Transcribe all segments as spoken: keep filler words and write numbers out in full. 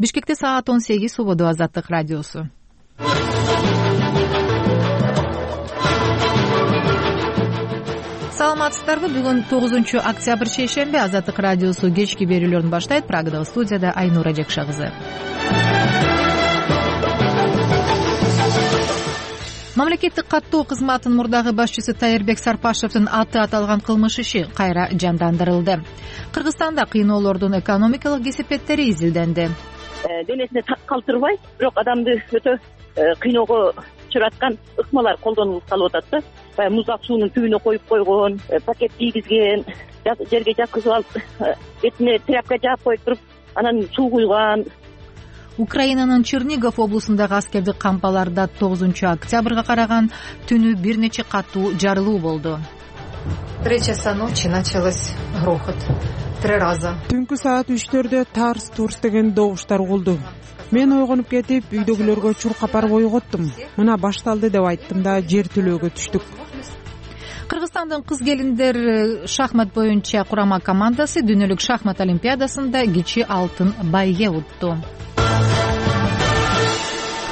Бишкекте саат он сегиз, убоду Азаттык радиосу. Саламатсыздарбы? Бүгүн тогузунчу октябрь шейшемби. Азаттык радиосу кечки берүүлөрүн баштайт. Прагадагы студияда Айнура Жекша кызы. Мамлекеттик каттоо кызматынын мурдагы башчысы Таирбек Сарпашевдин аты аталган кылмыш иши кайра жандандырылды. Кыргызстанда кыйноолордун экономикалык кесепеттери изилденди. Денесине так калтырбай, бирок адамды өтө кыйноого чыраткан ыкмалар колдонулуп калып атат да. Баягы муздак суунун түбүнө коюп койгон, пакет кийгизген, жерге жаккызып алып, бетине тряпка жаап коюп туруп, анан суу куйган. Украинанын Чернигов облусундагы аскердик кампаларда тогузунчу октябрга караган түнү бир нече катуу жарылуу болду. Три часа ночи началось грохот. Три раза. Түнкү саат үчтөрдө тарс-турс деген добуштар угулду. Мен ойгонуп кетип, үйдөгүлөргө чуркап барып ойготтум. Мына башталды деп айттым да жер төлөөгө түштүк. Кыргызстандын кыз келиндер шахмат боюнча курама командасы дүйнөлүк шахмат олимпиадасында кичи алтын байге утту.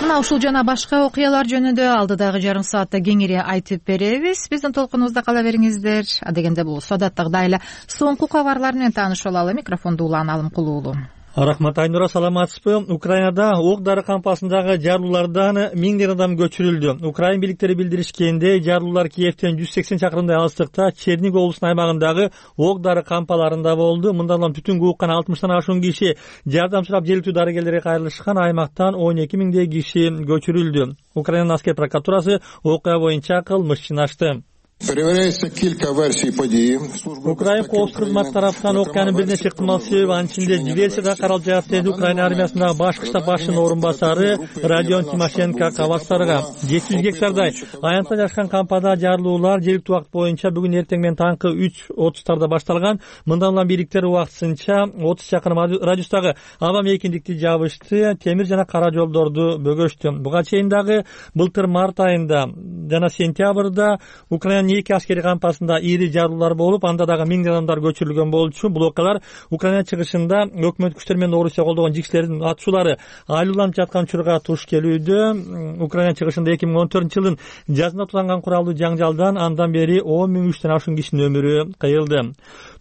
Мына ушул жана башка окуялар жөнүндө алдыдагы жарым саатта кеңири айтып беребиз. Биздин толкунубузда кала бериңиздер. Адегенде болсо адаттагыдай эле соңку кабарлар менен таанышып алалы. Микрофонду Улан Алымкулуулу. Рахмат, Айнура, саламатсызбы? Украинада ок-дары кампасындагы жарылуулардан миңдеген адам көчүрүлдү. Украин бийликтери билдиришкендей, жарылуулар Киевден жүз сексен чакырымдай алыстыкта Чернигов облусунун аймагындагы ок-дары кампаларында болду. Мындан улам түтүнгө уккан алтымыштан ашуун киши жардам сурап жергиликтүү дарыгерлерге кайрылышкан. Аймактан он эки миңдей киши көчүрүлдү. Украинанын аскер прокуратурасы окуя боюнча кылмышчыны ачты. Перевіряється кілька версій події. Украин коопсуздук кызматы тараптан окуянын бир нече ыктымал себеби, анын ичинде диверсия каралып жатат, деди Украина армиясындагы башкы штаб башчынын орун басары Родион Тимошенко Кабастарга. жети жүз гектардай аянтта жашкан кампада жарылуулар жергиликтүү убакыт боюнча бүгүн эртең менен таңкы үч отуздарда башталган. Мындан улам бийликтер убактысынча отуз чакырым радиустагы аба мейкиндикти жабышты, темир жана кара жолдорду бөгөштү. Буга чейин дагы былтыр март айында жана сентябрда Украина эки аскери кампасында ири жарылуулар болуп, анда дагы миңдеген адамдар көчүрүлгөн болчу. Бул окуялар Украина чыгышында өкмөт күчтөр менен Орусия колдогон жикшилердин атышуулары айлууланып жаткан учурга туш келүүдө. Украина чыгышында эки миң он төртүнчү жылдын жазында тууланган куралдуу жаңжалдан андан бери он миң үчтөн ашуун кишинин өмүрү кыйылды.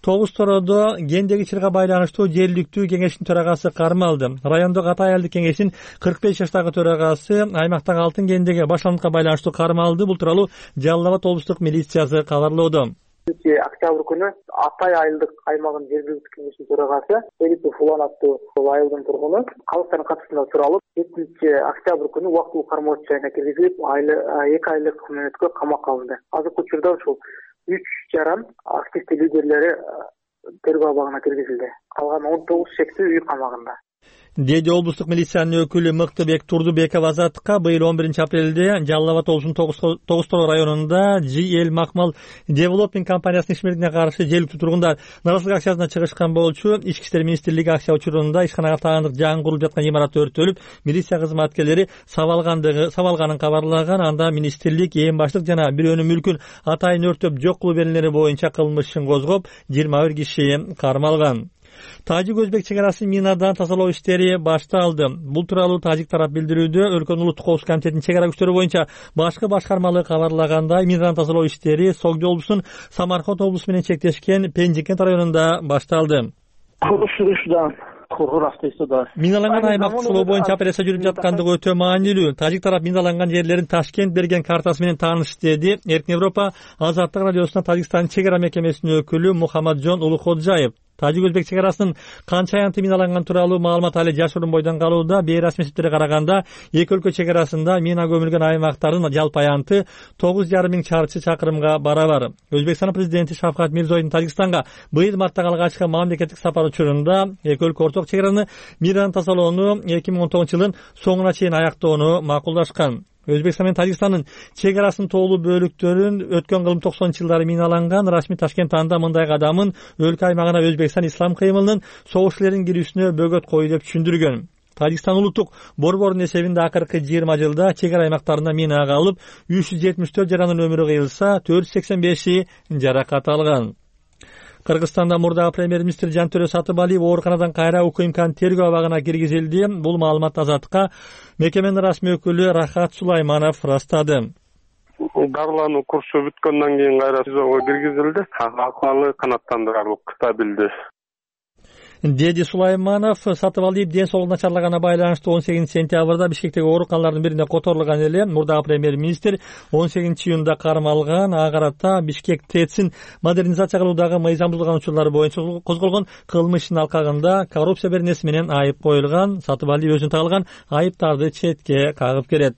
Тогуз Тородо гендеги чырга байланыштуу жергиликтүү кеңештин төрагасы кармалды. Райондогу ата аялдык кеңештин кырк беш жаштагы төрагасы аймактагы алтын гендеги башланыкка байланыштуу кармалды. Бул тууралуу Жалал Абад облустук милициясы кабарлоодо. Октябрь күнү Атай айылдык аймагынын жергиликтүү кеңешинин төрагасы Филиппов Улан аттуу айылдын тургуну калыстардын катышында суралып, жетинчи октябрь күнү убактылуу кармоо жайына киргизилип, эки айлык мөөнөткө камакка алынды. Азыркы учурда ушул үч жаран активдүү лидерлери тергөө абагына киргизилди. Калган он тогуз шектүү үй камагында. Деди облустук милициянын өкүлү Мыктыбек Турдубеков Азаттыкка. Быйыл он биринчи апрелде Жалал Абад облусунун Тогуз Тороо районунда Джи Эл Макмал Девелопмент компаниясынын ишмердигине каршы жергиликтүү тургундар наразылык акциясына чыгышкан болчу. Ички иштер министрлиги акция учурунда ишканага таандык жаңы курулуп жаткан имарат өрттөлүп, милиция кызматкерлери сабалгандыгы сабалганын кабарлаган. Анда министрлик эң баштык жана бирөөнүн мүлкүн атайын өрттөп жок кылуу беренелери боюнча кылмыш ишин козгоп, жыйырма бир киши кармалган. Тажик-өзбек чек арасын минадан тазалоо иштери башталды. Бул тууралуу тажик тарап билдирүүдө. Өлкөнүн улуттук коопсуздук комитетинин чек ара күчтөрү боюнча башкы башкармалыгы кабарлагандай, минадан тазалоо иштери Согдо облусунун Самарканд облусу менен чектешкен Пенжикент районунда башталды. Миналанган аймакты сулоо боюнча операция жүрүп жаткандыгы өтө маанилүү. Тажик тарап миналанган жерлерин Ташкент берген картасы менен таанышты, деди Эркин Европа Азаттык радиосуна Тажикстандын чек ара мекемесинин өкүлү Мухаммаджон Улукходжаев. Тажик-өзбек чек арасын канча аянты миналанган тууралуу маалымат али жашыруун бойдон калууда. Бейрасмий эсептерге караганда эки өлкө чек арасында мина көмүлгөн аймактардын жалпы аянты тогуз жарым миң чарчы чакырымга барабар. Өзбекстан президенти Шавкат Мирзоевдун Тажикстанга быйыл марттагы алгачкы мамлекеттик сапар учурунда эки өлкө орток чек араны минадан тазалоону эки миң он тогузунчу жылдын соңуна чейин аяктоону макулдашкан. Өзбекстан менен Тажикстандын чек арасынын тоолуу бөлүктөрүн өткөн кылым токсонунчу жылдары миналанган. Расмий Ташкент анда мындай кадамын өлкө аймагына Өзбекстан ислам кыймылынын согушчулердин кирүүсүнө бөгөт кою деп түшүндүргөн. Тажикстан улуттук борборунун эсебинде акыркы жыйырма жылда чек ара аймактарында мина калып, үч жүз жетимиш төрт жарандын өмүрү кыйылса, төрт жүз сексен беши жаракат алган. Кыргызстанда мурдагы премьер-министр Жантөрө Сатыбалиев ооруканадан кайра УКМКнын тергөө абагына киргизилди. Бул маалымат Азаттыкка мекеменин расмий өкүлү Рахат Сулайманов ырастады. Дарылануу курсу бүткөндөн кийин кайра СИЗОго киргизилди. Акыбалы канааттандырарлык, стабилдүү, деди Сулайманов. Сатыбалиев ден соолугу начарлаганына байланыштуу он сегизинчи сентябрда Бишкектеги ооруканалардын бирине которулган эле. Мурдагы премьер-министр он сегизинчи июнда кармалган. Ага карата Бишкек ТЭЦин модернизация кылуудагы мыйзам бузулган учурлары боюнча козголгон кылмыштын алкагында коррупция беренеси менен айып коюлган. Сатыбалиев өзүнө тагылган айыптарды четке кагып келет.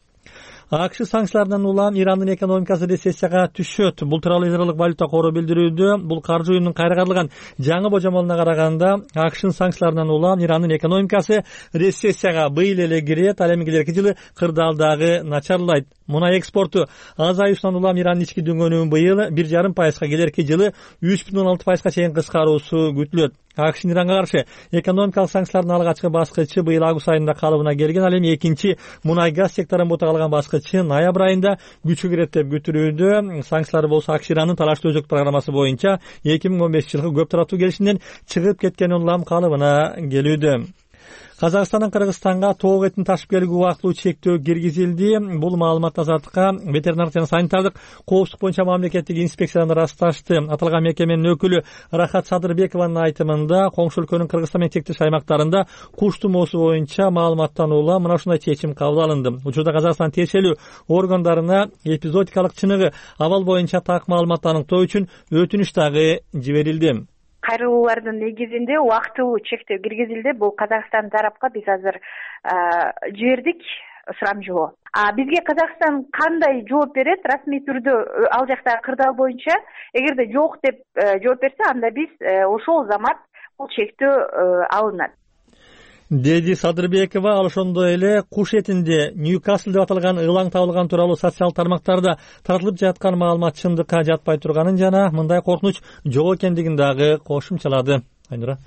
АКШ санкцияларынан улам Ирандын экономикасы рецессияга түшөт. Бул тууралуу Израилдик валюта кору билдирүүдө. Бул каржы уюмунун кайрагарылган жаңы божомолуна караганда АКШнын санкцияларынан улам Ирандын экономикасы рецессияга быйыл эле кирет. Ал эми келерки жылы кырдаалдагы начарлайт. Мунай экспорту азаюусунан улам Ирандын ички дөңгөнүгүн быйыл бир жарым пайызга, келерки жылы үч бүтүн он алты пайызга чейин кыскаруусу күтүлөт. АКШнын Иранга каршы экономикалык санкциялардын алгачкы баскычы быйыл август айында калыбына келген. Ал эми экинчи мунай газ секторун бута калган баскычы ноябрь айында күчкө кирет деп күтүлүүдө. Санкциялар болсо АКШ Ирандын талаштуу өзөк программасы боюнча эки миң он бешинчи жылкы көп тараптуу келишимден чыгып кеткени улам калыбына келүүдө. Казакстандын Кыргызстанга тоок этин ташып келүүгө убактылуу чектөө киргизилди. Бул маалымат Азаттыкка ветеринардык жана санитардык коопсуздук боюнча мамлекеттик инспекциядан ырасташты. Аталган мекеменин өкүлү Рахат Садырбекованын айтымында коңшу өлкөнүн Кыргызстан менен чектеш аймактарында куш тумоосу боюнча маалыматтан улам мына ушундай чечим кабыл алынды. Учурда Казакстан тиешелүү органдарына эпизодикалык чыныгы абал боюнча так маалымат аныктоо үчүн өтүнүч дагы жиберилди. Кайрылуулардын негизинде убактылуу чектөө киргизилди. Бул Казакстан тарапка биз азыр жибердик сурамжылоо. А бизге Казакстан кандай жооп берет расмий түрдө ал жактагы кырдаал боюнча? Эгерде жок деп жооп берсе, анда биз ошол замат бул чектөө алынат, деди Садырбекова. Ал ошондой эле куш этинде Ньюкасл деп аталган ылаң табылган тууралуу социалдык тармактарда таратылып жаткан маалымат чындыкка жатпай турганын жана мындай коркунуч жок экендигин дагы кошумчалады. Айнура.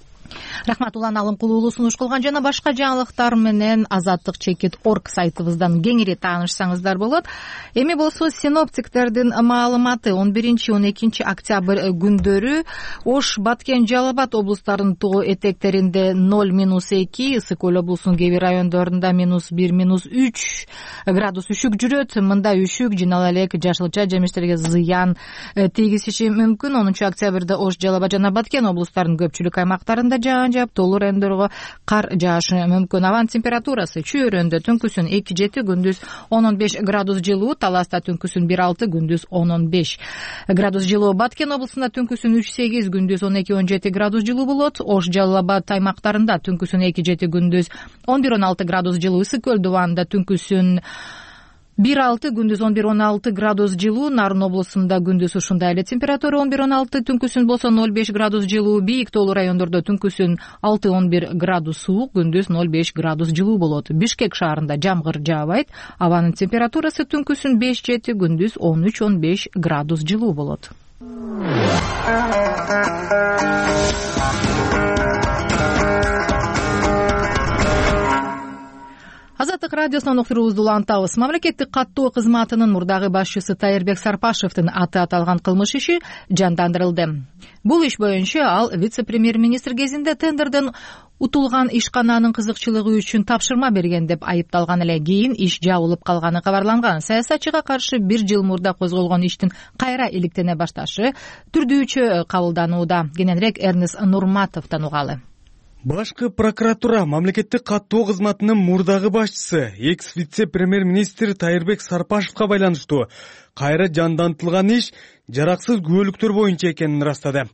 Рахмат. Улан Алымкулуулу сунуш кылган жана башка жаңылыктар менен азаттык чекит точка орг сайтыбыздан кеңири таанышсаңыздар болот. Эми болсо синоптиктердин маалыматы он биринчи он экинчи октябрь күндөрү Ош, Баткен, Жалал Абад облустарынын тоо этектеринде ноль минус эки, Ысык Көл облусунун кээ бир райондорунда минус бир минус үч градус үшүк жүрөт. Мында үшүк жыйнала элек жашылча жемиштерге зыян тийгизиши мүмкүн. онунчу октябрда Ош, Жалал Абад жана Баткен облустарынын көпчүлүк аймактарында жаан жаап, тоолуу райондорго кар жаашы мүмкүн. Абанын температурасы Чүйөрөндө түнкүсүн эки жети, күндүз он он беш градус жылуу, Таласта түнкүсүн бир алты, күндүз он он беш градус жылуу. Баткен облусунда түнкүсүн үч сегиз, күндүз он эки он жети градус жылуу болот. Ош, Жалал Абад аймактарында түнкүсүн эки жети, күндүз он бир он алты градус жылуу. Ысык Көл дубанында түнкүсүн бир алты, күндүз он бир он алты градус жылуу. Нарын облусунда күндүз ушундай эле температура он бир он алты, түнкүсүн болсо ноль беш градус жылуу. Бийик тоолуу райондордо түнкүсүн алты он бир градус суук, күндүз ноль беш градус жылуу болот. Бишкек шаарында жамгыр жаабайт. Абанын температурасы түнкүсүн беш жети, күндүз он үч он беш градус жылуу болот. Азаттык радиосунан уктуруубузду улантабыз. Мамлекеттик каттоо кызматынын мурдагы башчысы Тайырбек Сарпашевдин аты аталган кылмыш иши жандандырылды. Бул иш боюнча ал вице-премьер-министр кезинде тендерден утулган ишкананын кызыкчылыгы үчүн тапшырма берген деп айыпталган эле. Кийин иш жабылып калганы кабарланган. Саясатчыга каршы бир жыл мурда козголгон иштин кайра иликтене башташы түрдүүчө кабылданууда. Кененирээк Эрнест Нурматовдон угалы. Башкы прокуратура мамлекеттик каттоо кызматынын мурдагы башчысы экс вице-премьер-министр Тайырбек Сарпашевга байланыштуу кайра жандантылган иш жараксыз күбөлүктөр боюнча экенин ырастады.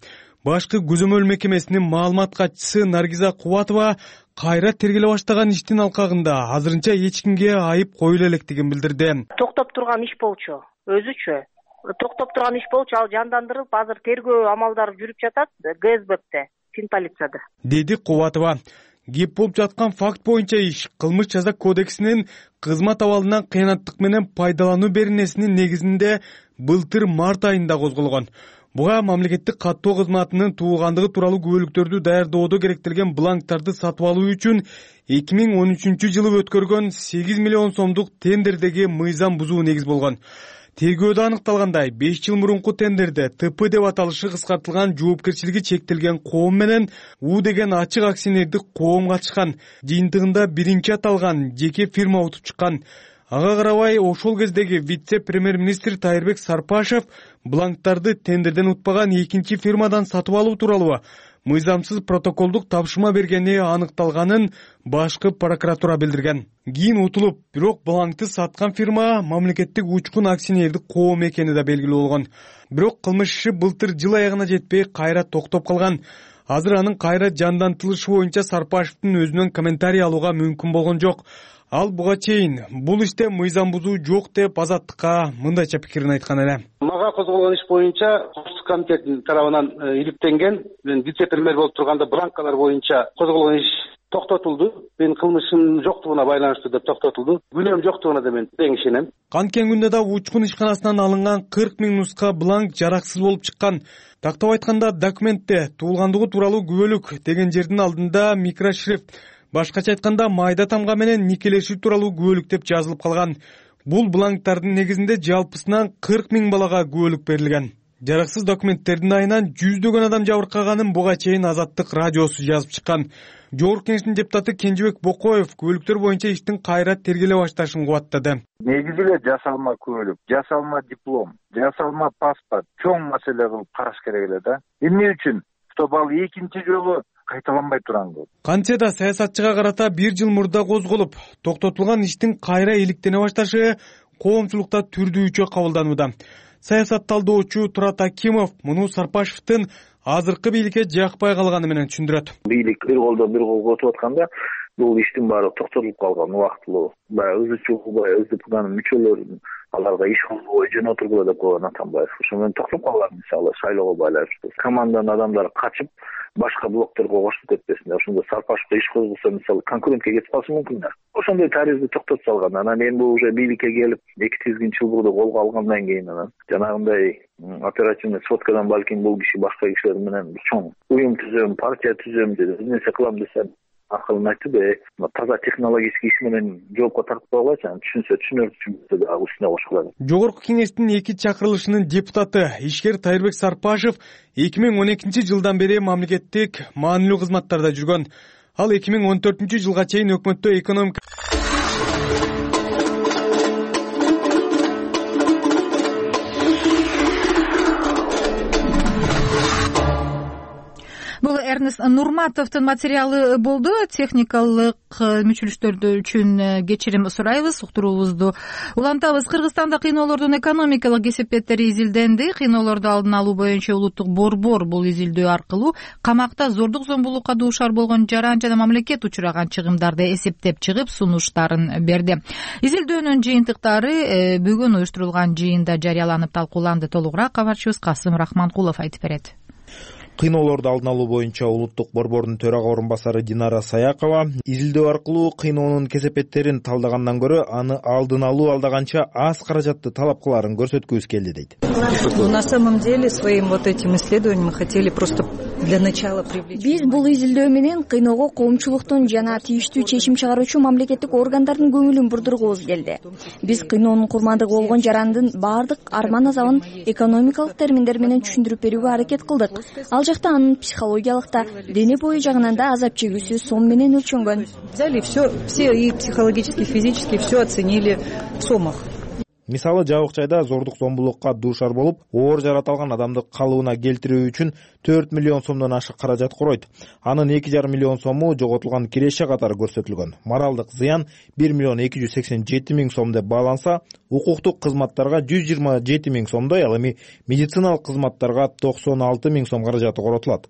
Башкы көзөмөл мекемесинин маалымат катчысы Наргиза Кубатова кайра тергеле баштаган иштин алкагында азырынча эч кимге айып коюла электигин билдирди. Токтоп турган иш болчу, өзүчө. Токтоп турган иш болчу, ал жандандырылып, азыр тергөө амалдары жүрүп жатат ГСБте. Полицияда, деди Кубатова. Кеп болуп жаткан факт боюнча иш кылмыш жаза кодексинин кызмат абалынан кыянаттык менен пайдалануу беренесинин негизинде былтыр март айында козголгон. Буга мамлекеттик каттоо кызматынын туулгандыгы тууралуу күбөлүктөрдү даярдоодо керектелген бланктарды сатып алуу үчүн эки миң он үчүнчү жылы өткөргөн сегиз миллион сомдук тендердеги мыйзам бузуу негиз болгон. Тергөөдө аныкталгандай, беш жыл мурунку тендерде Т П деп аталышы кыскартылган жоопкерчилиги чектелген коом менен У деген ачык акционердик коом катышкан. Жыйынтыгында биринчи аталган жеке фирма утуп чыккан. Ага карабай, ошол кездеги вице-премьер-министр Тайырбек Сарпашев бланктарды тендерден утпаган экинчи фирмадан сатып алуу тууралуу мыйзамсыз протоколдук тапшырма бергени аныкталганын башкы прокуратура билдирген. Кийин утулуп, бирок бланкты саткан фирма мамлекеттик учкун акционердик коом экени да белгилүү болгон. Бирок кылмыш иши былтыр жыл аягына жетпей кайра токтоп калган. Азыр анын кайра жандантылышы боюнча Сарпашевдин өзүнөн комментарий алууга мүмкүн болгон жок. Ал буга чейин бул иште мыйзам бузуу жок деп Азаттыкка мындайча пикирин айткан эле. Мага козголгон иш боюнча Коопсуздук комитетинин тарабынан иликтенген, мен вице-премьер болуп турганда бланкалар боюнча козголгон иш токтотулду. Мен кылмышым жоктугуна байланыштуу деп токтотулду. Күнөөм жоктугуна да мен тең ишенем. Канткен күндө да учкун ишканасынан алынган кырк миң нуска бланк жараксыз болуп чыккан. Тактап айтканда, документте туулгандыгы тууралуу күбөлүк деген жердин алдында микрошрифт, башкача айтканда майда тамга менен никелешүү тууралуу күбөлүк деп жазылып калган. Бул бланктардын негизинде жалпысынан кырк миң балага күбөлүк берилген. Жараксыз документтердин айынан жүздөгөн адам жабыркаганын буга чейин Азаттык радиосу жазып чыккан. Жогорку Кеңештин депутаты Кенжебек Бокоев күбөлүктөр боюнча иштин кайра тергеле башташын кубаттады. Негизи эле жасалма күбөлүк, жасалма диплом, жасалма паспорт чоң маселе кылып караш керек эле да. Эмне үчүн? Чтобы ал экинчи жолу кайталанбай турган. Кантсе да саясатчыга карата бир жыл мурда козголуп, токтотулган иштин кайра иликтене башташы коомчулукта түрдүүчө кабылданууда. Саясат талдоочу Турат Акимов муну Сарпашевдин азыркы бийликке жакпай калганы менен түшүндүрөт. Бийлик бир колдо бир кол отуп атканда бул иштин баары токтотулуп калган убактылуу. Баягы өзүчүлүк СДПнын мүчөлөрүн аларга иш кылбой жөн отургула деп койгон Атамбаев. Ошо менен токтоп калган, мисалы шайлоого байланыштуу. Команданын адамдары качып башка блокторго кошулуп кетпесин. Ошондо Сарпашевге иш козголсо, мисалы конкурентке кетип калышы мүмкүн да. Ошондой тарихти токтотуп салган. Анан эми бул уже бийликке келип эки тизгин чылбырды колго алгандан кийин анан жанагындай оперативный сводкадан балким бул киши башка кишилер менен чоң уюм түзөм, партия түзөм деп бир нерсе кылам десе акылын айтты да, таза технологический иш менен жоопко тартып койгойчу, анан түшүнсө түшүнөр, түшүнбөсө дагы үстүнө кошулат. Жогорку Кеңештин эки чакырылышынын депутаты ишкер Тайырбек Сарпашев эки миң он экинчи жылдан бери мамлекеттик маанилүү кызматтарда жүргөн. Ал эки миң он төртүнчү жылга чейин өкмөттө экономика Бул Эрнест Нурматовдун материалы болду. Техникалык мүчүлүштөр үчүн кечирим сурайбыз, уктуруубузду улантабыз. Кыргызстанда кыйноолордун экономикалык кесепеттери изилденди. Кыйноолорду алдын алуу боюнча улуттук борбор бул изилдөө аркылуу камакта зордук зомбулукка дуушар болгон жаран жана мамлекет учураган чыгымдарды эсептеп чыгып сунуштарын берди. Изилдөөнүн жыйынтыктары бүгүн уюштурулган жыйында жарыяланып талкууланды. Толугураак кабарчыбыз Касым Рахманкулов айтып берет. Кыйноолорду алдын алуу боюнча улуттук борбордун төрага орун басары Динара Саякова изилдөө аркылуу кыйноонун кесепеттерин талдагандан көрө аны алдын алуу алдаганча аз каражатты талап кылаарын көрсөткүбүз келди дейт. На самом деле своим вот этим исследованием мы хотели просто для начала привлечь. Биз бул изилдөө менен кыйноого коомчулуктун жана тийиштүү чечим чыгаруучу мамлекеттик органдардын көңүлүн бурдургубуз келди. Биз кыйноонун курмандыгы болгон жарандын баардык арман азабын экономикалык терминдер менен түшүндүрүп берүүгө аракет кылдык. Ал жакта анын психологиялык да, дене бою жагынан да азап чегүүсү сом менен өлчөнгөн. Взяли все, все и психологически, и физически все оценили в сомах. Мисалы, жабык жайда зордук зомбулукка дуушар болуп, оор жарат алган адамды калыбына келтирүү үчүн төрт миллион сомдон ашык каражат куройт. Анын эки жарым миллион сому жоготулган киреше катары көрсөтүлгөн. Моралдык зыян бир миллион эки жүз сексен жети миң сом деп бааланса, укуктук кызматтарга жүз жыйырма жети миң сомдой, ал эми медициналык кызматтарга токсон алты миң сом каражаты коротулат.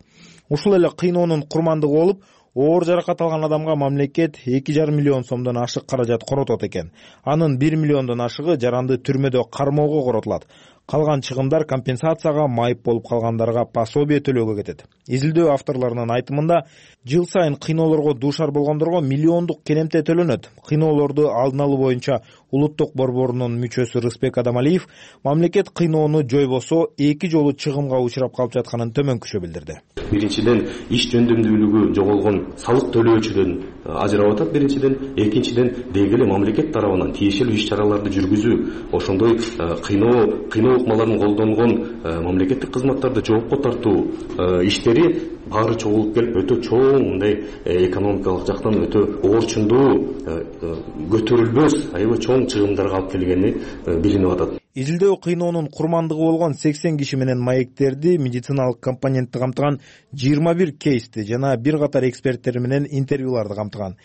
Ушул эле кыйноонун курмандыгы болуп, оор жаракат алган адамга мамлекет эки жарым миллион сомдон ашык каражат коротот экен. Анын бир миллиондон ашыгы жаранды түрмөдө кармоого коротулат. Калган чыгымдар компенсацияга, майып болуп калгандарга пособие төлөөгө кетет. Изилдөө авторлорунун айтымында, жыл сайын кыйноолорго дуушар болгондорго миллиондук керемте төлөнөт. Кыйноолорду алдын алуу боюнча улуттук борборунун мүчөсү Рыспек Адамалиев мамлекет кыйноону жойбосо эки жолу чыгымга учурап калып жатканын төмөнкүчө билдирди. Биринчиден, иш жөндөмдүүлүгү жоголгон салык төлөөчүдөн ажырап атат. Биринчиден, экинчиден, деги эле мамлекет тарабынан тиешелүү иш чараларды жүргүзүү, ошондой кыйноо кыйноо ыкмаларын колдонгон мамлекеттик кызматтарды жоопко тартуу иштери баары чогулуп келип өтө чоң мындай экономикалык жактан өтө орчундуу көтөрүлбөс аябай чоң чыгымдарга алып келгени билинип атат. Изилдөө кыйноонун курмандыгы болгон сексен киши менен маектерди, медициналык компонентти камтыган жыйырма бир кейсти жана бир катар эксперттер менен интервьюларды камтыган.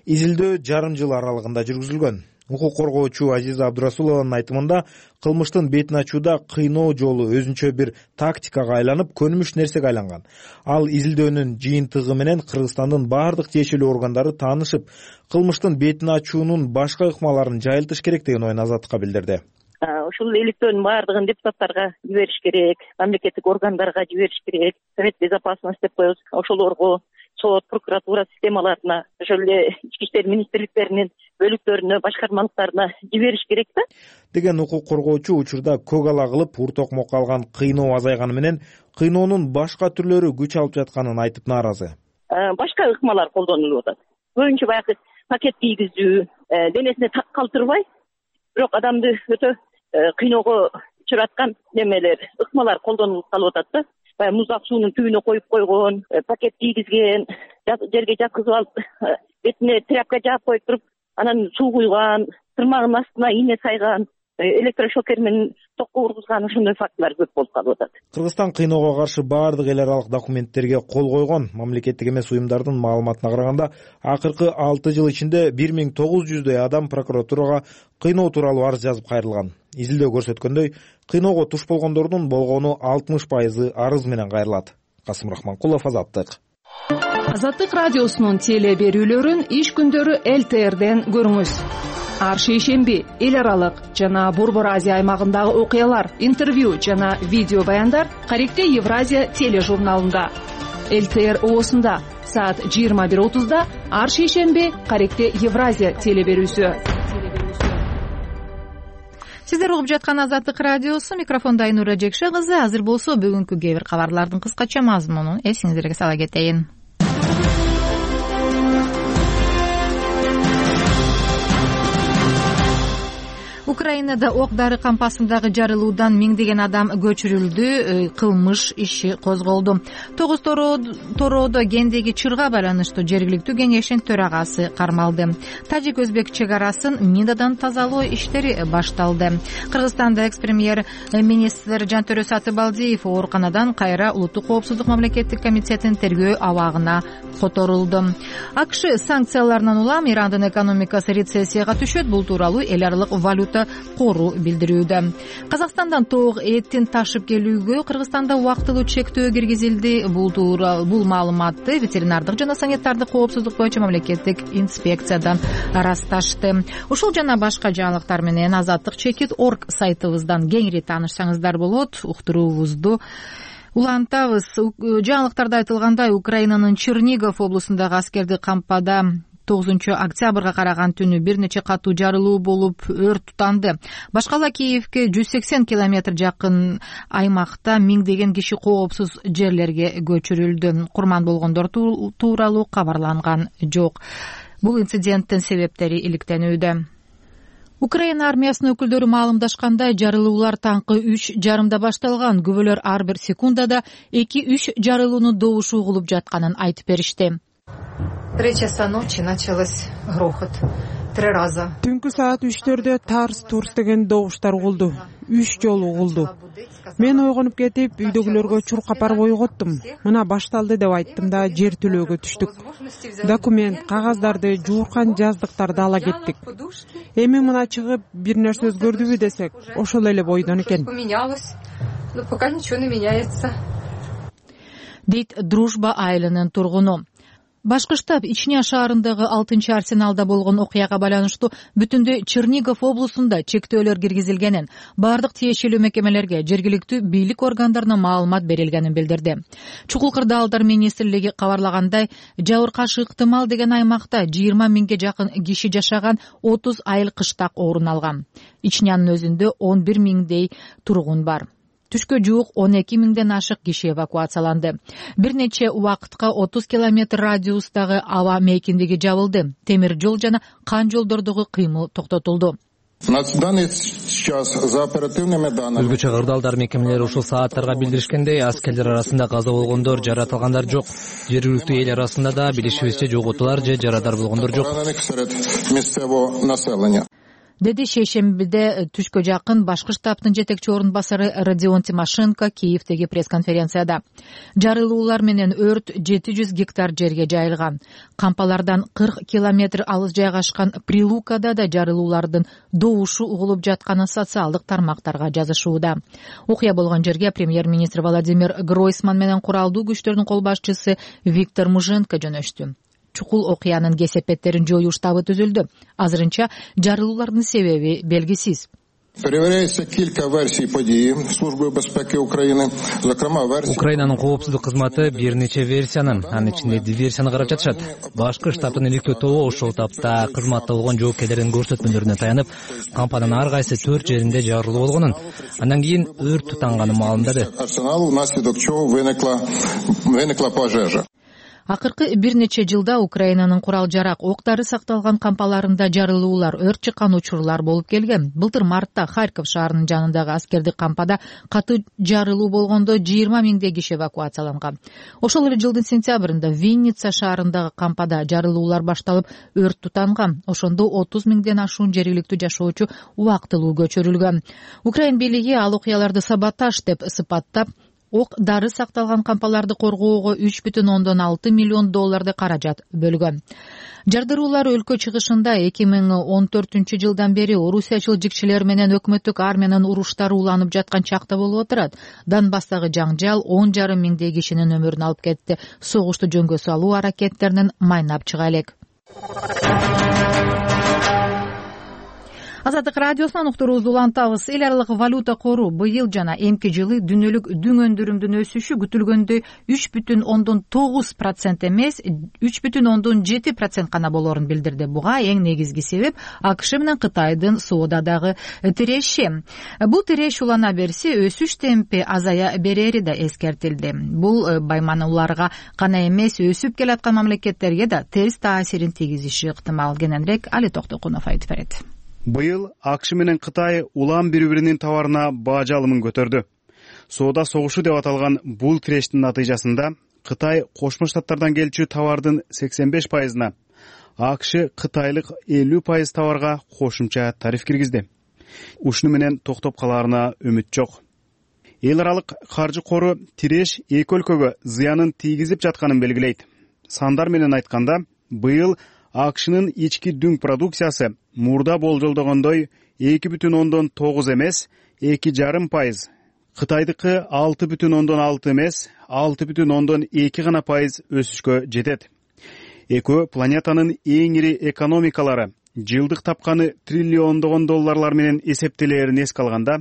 Изилдөө жарым жыл аралыгында жүргүзүлгөн. Укук коргоочу Азиза Абдурасулованын айтымында кылмыштын бетин ачууда кыйноо жолу өзүнчө бир тактикага айланып, көнүмүш нерсеге айланган. Ал изилдөөнүн жыйынтыгы менен Кыргызстандын баардык тиешелүү органдары таанышып, кылмыштын бетин ачуунун башка ыкмаларын жайылтыш керек деген оюн Азаттыкка билдирди. Ушул иликтөөнүн баардыгын депутаттарга жибериш керек, мамлекеттик органдарга жибериш керек, Совет безопасности деп коебуз, ошолорго, сот, прокуратура системаларына, ошол эле ички иштер министрликтеринин бөлүктөрүнө, башкармалыктарына жибериш керек да деген укук коргоочу учурда көк ала кылып, ур токмокко алган кыйноо азайганы менен кыйноонун башка түрлөрү күч алып жатканын айтып нааразы. Башка ыкмалар колдонулуп атат. Көбүнчө баягы пакет кийгизүү, денесине так калтырбай, бирок адамды өтө кыйноого учураткан немелер, ыкмалар колдонулуп калып атат да. Баягы муздак суунун түбүнө коюп койгон, пакет кийгизген, жерге жаткызып алып, бетине тряпка жаап коюп туруп, анан суу куйган, тырмагынын астына ийне сайган, электрошокер менен токко ургузган, ошондой фактылар көп болуп калып атат. Кыргызстан кыйноого каршы баардык эл аралык документтерге кол койгон. Мамлекеттик эмес уюмдардын маалыматына караганда, акыркы алты жыл ичинде бир миң тогуз жүздөй адам прокуратурага кыйноо тууралуу арыз жазып кайрылган. Изилдөө көрсөткөндөй, кыйноого туш болгондордун болгону алтымыш пайызы арыз менен кайрылат. Касым Рахманкулов, Азаттык. Азаттык радиосунун теле берүүлөрүн иш күндөрү эл тэ эрден көрүңүз. Ар шейшемби эл аралык жана Борбор Азия аймагындагы окуялар, интервью жана видео баяндар Каректе Евразия тележурналында. эл тэ эр оосунда саат жыйырма бир отузда ар шейшемби Каректе Евразия теле берүүсү. Сиздер угуп жаткан Азаттык радиосу, микрофондо Айнура Жекше кызы. Азыр болсо бүгүнкү кээ бир кабарлардын кыскача мазмунун эсиңиздерге сала кетейин. Украинада ок дары кампасындагы жарылуудан миңдеген адам көчүрүлдү, кылмыш иши козголду. Тогуз тороодо гендеги чырга байланыштуу жергиликтүү кеңештин төрагасы кармалды. Тажик-өзбек чек арасын минадан тазалоо иштери башталды. Кыргызстанда экс-премьер министр Жантөрө Сатыбалдиев ооруканадан кайра улуттук коопсуздук мамлекеттик комитетинин тергөө абагына которулду. АКШ санкцияларынан улам Ирандын экономикасы рецессияга түшөт. Бул тууралуу эл аралык валюта кору билдирүүдө. Казакстандан тоок эттин ташып келүүгө Кыргызстанда убактылуу чектөө киргизилди. Бул тууралуу бул маалыматты ветеринардык жана санитардык коопсуздук боюнча мамлекеттик инспекциядан ырасташты. Ушул жана башка жаңылыктар менен азаттык чекит точка орг сайтыбыздан кеңири таанышсаңыздар болот. Уктуруубузду улантабыз. Жаңылыктарда айтылгандай, Украинанын Чернигов облусундагы аскердик кампада тогузунчу октябрга караган түнү бир нече катуу жарылуу болуп өрт тутанды. Башкала Киевке жүз сексен километр жакын аймакта миңдеген киши коопсуз жерлерге көчүрүлдү. Курман болгондор тууралуу кабарланган жок. Бул инциденттин себептери иликтенүүдө. Украина армиясынын өкүлдөрү маалымдашкандай, жарылуулар таңкы үч жарымда башталган. Күбөлөр ар бир секундада эки үч жарылуунун добушу угулуп жатканын айтып беришти. Три часа ночи началось грохот. Три раза. Түнкү саат үчтөрдө тарс-турс деген добуштар угулду. Үч жолу угулду. Мен ойгонуп кетип, үйдөгүлөргө чуркап барып ойготтум. Мына башталды деп айттым да жер төлөөгө түштүк. Документ, кагаздарды, жууркан жаздыктарды ала кеттик. Эми мына чыгып бир нерсе өзгөрдүбү десек, ошол эле бойдон экен. Но пока ничего не меняется. Дейт Дружба айылынын тургуну. Башкы штаб Ичня шаарындагы алтынчы арсеналда болгон окуяга байланыштуу бүтүндөй Чернигов облусунда чектөөлөр киргизилгенин, бардык тиешелүү мекемелерге, жергиликтүү бийлик органдарына маалымат берилгенин билдирди. Чукул Кырдаалдар министрлиги кабарлагандай, жабыркашы ыктымал деген аймакта жыйырма миңге жакын киши жашаган отуз айыл кыштак орун алган. Ичнянын өзүндө он бир миңдей тургун бар. Түшкө жуук он эки миңден ашык киши эвакуацияланды. Бир нече убакытка отуз километр радиустагы аба мейкиндиги жабылды. Темир жол жана кан жолдордогу кыймыл токтотулду. Өзгөчө Кырдаалдар мекемелери ушул сааттарга билдиришкендей, аскерлер арасында каза болгондор, жаратылгандар жок. Жергиликтүү эл арасында да билишибизче жоготуулар же жарадар болгондор жок. Деди шейшембиде түшкө жакын башкы штабтын жетекчи орун басары Родион Тимошенко Киевдеги пресс-конференцияда. Жарылуулар менен өрт жети жүз гектар жерге жайылган. Кампалардан кырк километр алыс жайгашкан Прилукада да жарылуулардын добушу угулуп жатканы социалдык тармактарга жазышууда. Окуя болгон жерге премьер-министр Владимир Гройсман менен куралдуу күчтөрдүн кол башчысы Виктор Муженко жөнөштү. Чукул окуянын кесепеттерин жоюу штабы түзүлдү. Азырынча жарылуулардын себеби белгисиз. Украинанын коопсуздук кызматы бир нече версиянын, анын ичинде диверсияны карап жатышат. Башкы штабтын иликтөө тобу ошол тапта кызматта болгон жоопкерлердин көрсөтмөлөрүнө таянып, кампанын ар кайсы төрт жеринде жарылуу болгонун, андан кийин өрт тутанганын маалымдады. Акыркы бир нече жылда Украинанын курал-жарак октары сакталган кампаларында жарылуулар, өрт чыккан учурлар болуп келген. Былтыр мартта Харьков шаарынын жанындагы аскердик кампада катуу жарылуу болгондо жыйырма миңдей киши эвакуацияланган. Ошол эле жылдын сентябрында Винница шаарындагы кампада жарылуулар башталып, өрт тутанган. Ошондо отуз миңден ашуун жергиликтүү жашоочу убактылуу көчүрүлгөн. Украин бийлиги ал окуяларды саботаж деп сыпаттап, ок дары сакталган кампаларды коргоого үч бүтүн ондон алты миллион долларды каражат бөлгөн. Жардыруулар өлкө чыгышында эки миң он төртүнчү жылдан бери орусиячыл жикчилер менен өкмөттүк армиянын уруштары уланып жаткан чакта болуп отурат. Донбасстагы жаңжал он жарым миңдей кишинин өмүрүн алып кетти. Согушту жөнгө салуу аракеттеринен майнап чыга элек. Азаттык радиосунан уктуруубузду улантабыз. Эл аралык валюта кору быйыл жана эмки жылы дүйнөлүк дүң өндүрүмдүн өсүшү күтүлгөндөй үч бүтүн ондон тогуз процент эмес, үч бүтүн ондон жети процент гана болоорун билдирди. Буга эң негизги себеп АКШ менен Кытайдын соодадагы тиреши. Бул тиреш улана берсе, өсүш темпи азая берери да эскертилди. Бул баймануларга гана эмес, өсүп келаткан мамлекеттерге да терс таасирин тийгизиши ыктымал. Кененирээк Али Токтокунов айтып берет. Быйыл АКШ менен Кытай улам бири-биринин товарына баа жалымын көтөрдү. Соода согушу деп аталган бул тирештин натыйжасында Кытай Кошмо Штаттардан келчү товардын сексен беш пайызына, АКШ кытайлык элүү пайыз товарга кошумча тариф киргизди. Ушуну менен токтоп калаарына үмүт жок. Эл аралык каржы кору тиреш эки өлкөгө зыянын тийгизип жатканын белгилейт. Сандар менен айтканда, быйыл АКШнын ички дүң продукциясы мурда болжолдогондой эки бүтүн ондон тогуз эмес, эки жарым пайыз, Кытайдыкы алты бүтүн ондон алты эмес, алты бүтүн ондон эки гана пайыз өсүшкө жетет. Экөө планетанын эң ири экономикалары жылдык тапканы триллиондогон долларлар менен эсептелээрин эске алганда,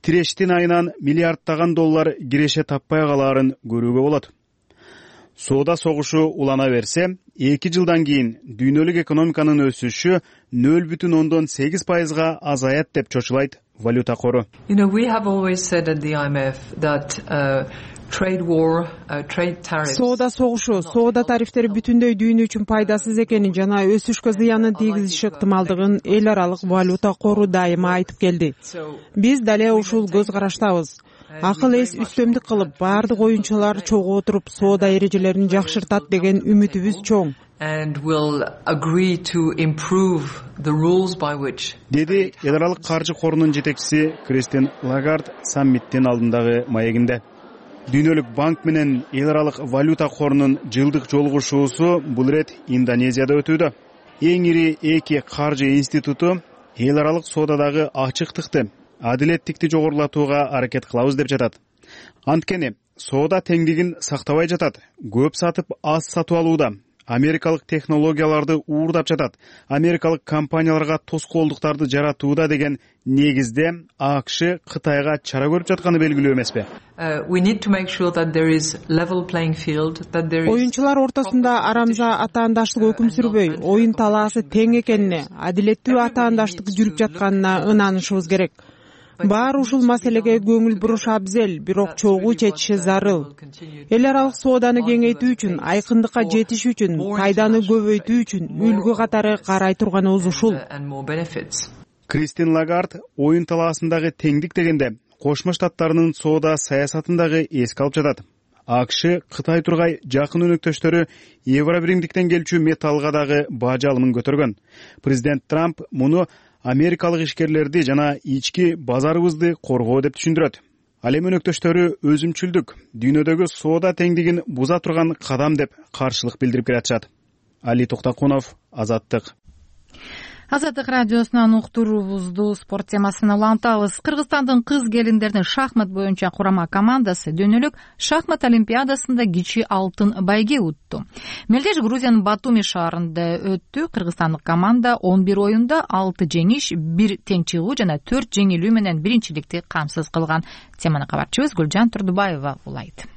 тирештин айынан миллиардтаган доллар киреше таппай калаарын көрүүгө болот. Соода согушу улана берсе, эки жылдан кийин дүйнөлүк экономиканын өсүшү нөл бүтүн ондон сегиз пайызга азаят деп чочулайт валюта кору. You know, we have always said at the I M F that uh, trade war, uh, trade tariffs. Соода согушу, соода тарифтери бүтүндөй дүйнө үчүн пайдасыз экенин жана өсүшкө зыянын тийгизиши ыктымалдыгын эл аралык валюта кору дайыма айтып келди. Биз дале ушул көз караштабыз. Акыл эс үстөмдүк кылып, баардык оюнчулар чогуу отуруп соода эрежелерин жакшыртат деген үмүтүбүз чоң. And will agree to improve the rules by which. Деди эл аралык каржы корунун жетекчиси Кристин Лагард саммиттин алдындагы маегинде. Дүйнөлүк банк менен эл аралык валюта корунун жылдык жолугушуусу бул ирет Индонезияда өтүүдө. Эң ири эки каржы институту эл аралык соодадагы ачыктыкты, адилеттикти жогорулатууга аракет кылабыз деп жатат. Анткени соода теңдигин сактабай жатат. Көп сатып аз сатып алууда, америкалык технологияларды уурдап жатат, америкалык компанияларга тоскоолдуктарды жаратууда деген негизде АКШ Кытайга чара көрүп жатканы белгилүү эмеспи? Оюнчулар ортосунда арамза атаандаштык өкүм сүрбөй, оюн талаасы тең экенине, адилеттүү атаандаштык жүрүп жатканына ынанышыбыз керек. Баары ушул маселеге көңүл буруш абзел, бирок чогуу чечиши зарыл. Эл аралык сооданы кеңейтүү үчүн, айкындыкка жетиш үчүн, пайданы көбөйтүү үчүн үлгү катары карай турганыбыз ушул. Кристин Лагард оюн талаасындагы теңдик дегенде Кошмо Штаттарынын соода саясатын дагы эске алып жатат. АКШ Кытай тургай жакын өнөктөштөрү Евробиримдиктен келчү металлга дагы бажы алымын көтөргөн. Президент Трамп муну америкалык ишкерлерди жана ички базарыбызды коргоо деп түшүндүрөт. Ал эми өнөктөштөрү өзүмчүлдүк, дүйнөдөгү соода теңдигин буза турган кадам деп каршылык билдирип келатышат. Али Токтокунов, Азаттык. Азаттык радиосунан уктуруубузду спорт темасына улантабыз. Кыргызстандын кыз келиндеринин шахмат боюнча курама командасы дүйнөлүк шахмат олимпиадасында кичи алтын байге утту. Мелдеш Грузиянын Батуми шаарында өттү. Кыргызстандык команда он бир оюнда алты жеңиш, бир тең чыгуу жана төрт жеңилүү менен биринчиликти камсыз кылган. Теманы кабарчыбыз Гүлжан Турдубаева улайт.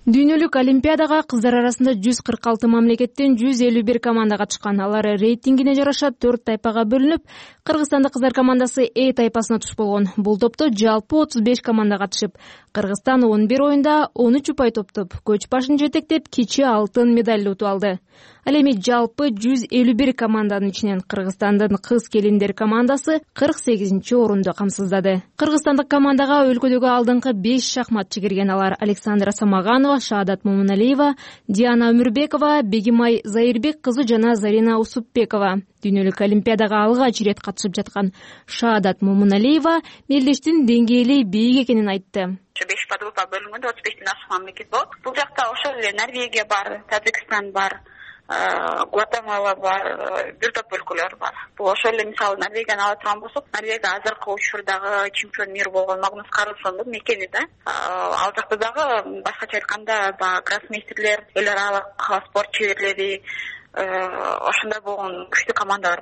Дүйнөлүк олимпиадага кыздар арасында жүз кырк алты мамлекеттен жүз элүү бир команда катышкан. Алар рейтингине жараша төрт тайпага бөлүнүп, Кыргызстандык кыздар командасы Э тайпасына туш болгон. Бул топто жалпы отуз беш команда катышып, Кыргызстан он бир оюнда он үч упай топтоп, көч башын жетектеп, кичи алтын медаль утуп алды. Ал эми жалпы жүз элүү бир команданын ичинен Кыргызстандын кыз келиндер командасы кырк сегизинчи орунду камсыздады. Кыргызстандык командага өлкөдөгү алдыңкы беш шахматчы кирген. Алар Александра Самаганова, Шаадат Момуналиева, Диана Өмүрбекова, Бегимай Заирбек кызы жана Зарина Усупбекова. Дүйнөлүк олимпиадага алгач ирет катышып жаткан Шаадат Момуналиева мелдештин деңгээли бийик экенин айтты. беш подгруппа бөлүнгөндө отуз бештен ашык мамлекет болот. Бул жакта ошол эле Норвегия бар, Таджикстан бар, Гватемала бар, бир топ өлкөлөр бар. Бул ошол эле мисалы Норвегияны ала турган болсок, Норвегия азыркы учурдагы чемпион мир болгон Магнус Карлсондун мекени да. Ал жакта дагы башкача айтканда баягы гроссмейстерлер, эл аралык спорт чеберлери, ошондой болгон күчтүү командалар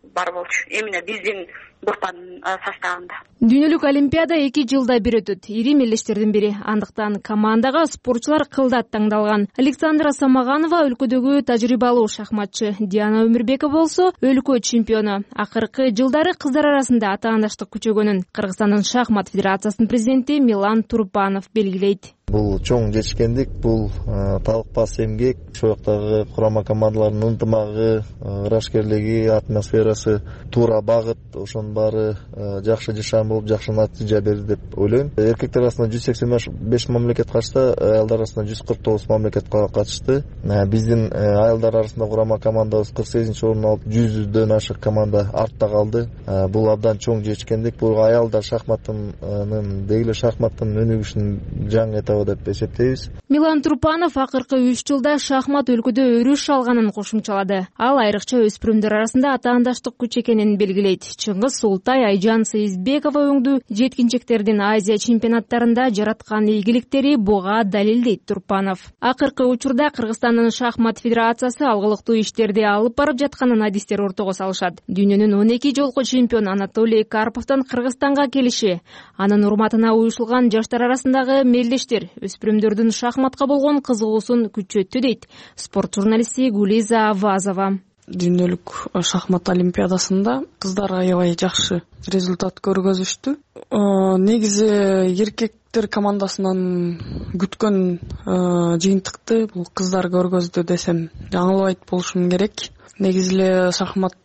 бар болчу. Эмне биздин группанын составында. Дүйнөлүк олимпиада эки жылда бир өтөт. Ири мелдештердин бири. Андыктан командага спортчулар кылдат таңдалган. Александра Самаганова өлкөдөгү тажрыйбалуу шахматчы, Диана Өмүрбекова болсо өлкө чемпиону. Акыркы жылдары кыздар арасында атаандаштык күчөгөнүн Кыргызстандын шахмат федерациясынын президенти Милан Турпанов белгилейт. Бул чоң жетишкендик, бул талыкпас эмгек, ошол жактагы курама командалардын ынтымагы, ырашкерлиги, атмосферасы, туура багыт, ошонун баары жакшы жашаан болуп, жакшы натыйжа берди деп ойлойм. Эркектер арасында жүз сексен беш мамлекет катышты, аялдар арасында жүз кырк тогуз мамлекет катышты. Биздин аялдар арасында курама командабыз кырк сегизинчи орун алып, жүздөн ашык команда артта калды. Бул абдан чоң жетишкендик. Бул аялдар шахматынын, деги шахматтын өнүгүшүн жаңы этабы деп эсептейбиз. Милан Турпанов акыркы үч жылда шахмат өлкөдө өрүш алганын кошумчалады. Ал айрыкча өспүрүмдөр арасында атаандаштык күч экенин белгилейт. Чыңгыз Султай, Айжан Сейизбекова өңдүү жеткинчектердин Азия чемпионаттарында жараткан ийгиликтери буга далил дейт Турпанов. Акыркы учурда Кыргызстандын шахмат федерациясы алгылыктуу иштерди алып барып жатканын адистер ортого салышат. Дүйнөнүн он эки жолку чемпиону Анатолий Карповдон Кыргызстанга келиши, анын урматына уюшулган жаштар арасындагы мелдештер өспүрүмдөрдүн шахматка болгон кызыгуусун күчөттү дейт спорт журналисти Гулиза Авазова. Дүйнөлүк шахмат олимпиадасында кыздар аябай жакшы результат көргөзүштү. Негизи эркектер командасынан күткөн жыйынтыкты бул кыздар көргөздү десем жаңылбайт болушум керек. Негизи эле шахмат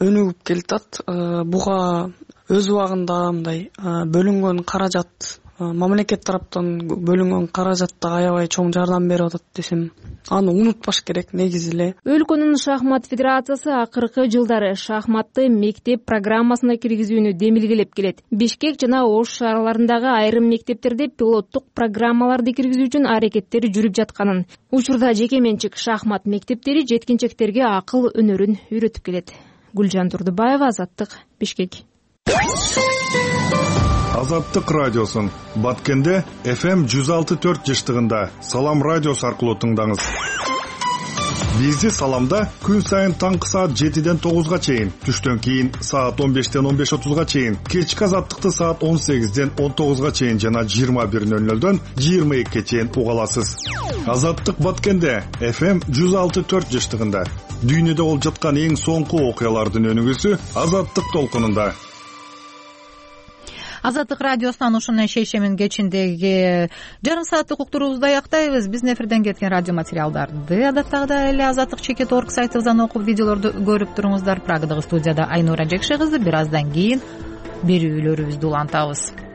өнүгүп келатат. Буга өз убагында мындай бөлүнгөн каражат, мамлекет тараптан бөлүнгөн каражат да аябай чоң жардам берип атат десем аны унутпаш керек. Негизи эле өлкөнүн шахмат федерациясы акыркы жылдары шахматты мектеп программасына киргизүүнү демилгелеп келет. Бишкек жана Ош шаарларындагы айрым мектептерде пилоттук программаларды киргизүү үчүн аракеттер жүрүп жатканын, учурда жеке менчик шахмат мектептери жеткинчектерге акыл өнөрүн үйрөтүп келет. Гүлжан Турдубаева, Азаттык, Бишкек. Азаттык радиосун Баткенде эф эм жүз алты төрт жыштыгында Салам радиосу аркылуу тыңдаңыз. Бизди Саламда күн сайын таңкы саат жетиден тогузга чейин, түштөн кийин саат он бештен он беш отузга чейин, кечки Азаттыкты саат он сегизден он тогузга чейин жана жыйырма бир ноль нолдон жыйырма экиге чейин уга аласыз. Азаттык Баткенде эф эм жүз алты төрт жыштыгында. Дүйнөдө болуп жаткан эң соңку окуялардын өнүгүүсү Азаттык толкунунда. Азаттык радиосунан ушунун шейшемин кечиндеги жарым сааттык уктуруубузду аяктайбыз. Биздин эфирден кеткен радио материалдарды адаттагыдай эле азаттык чекит орг сайтыбыздан окуп, видеолорду көрүп туруңуздар. Прагадагы студияда Айнура Жекше кызы. Бир аздан кийин берүүлөрүбүздү улантабыз.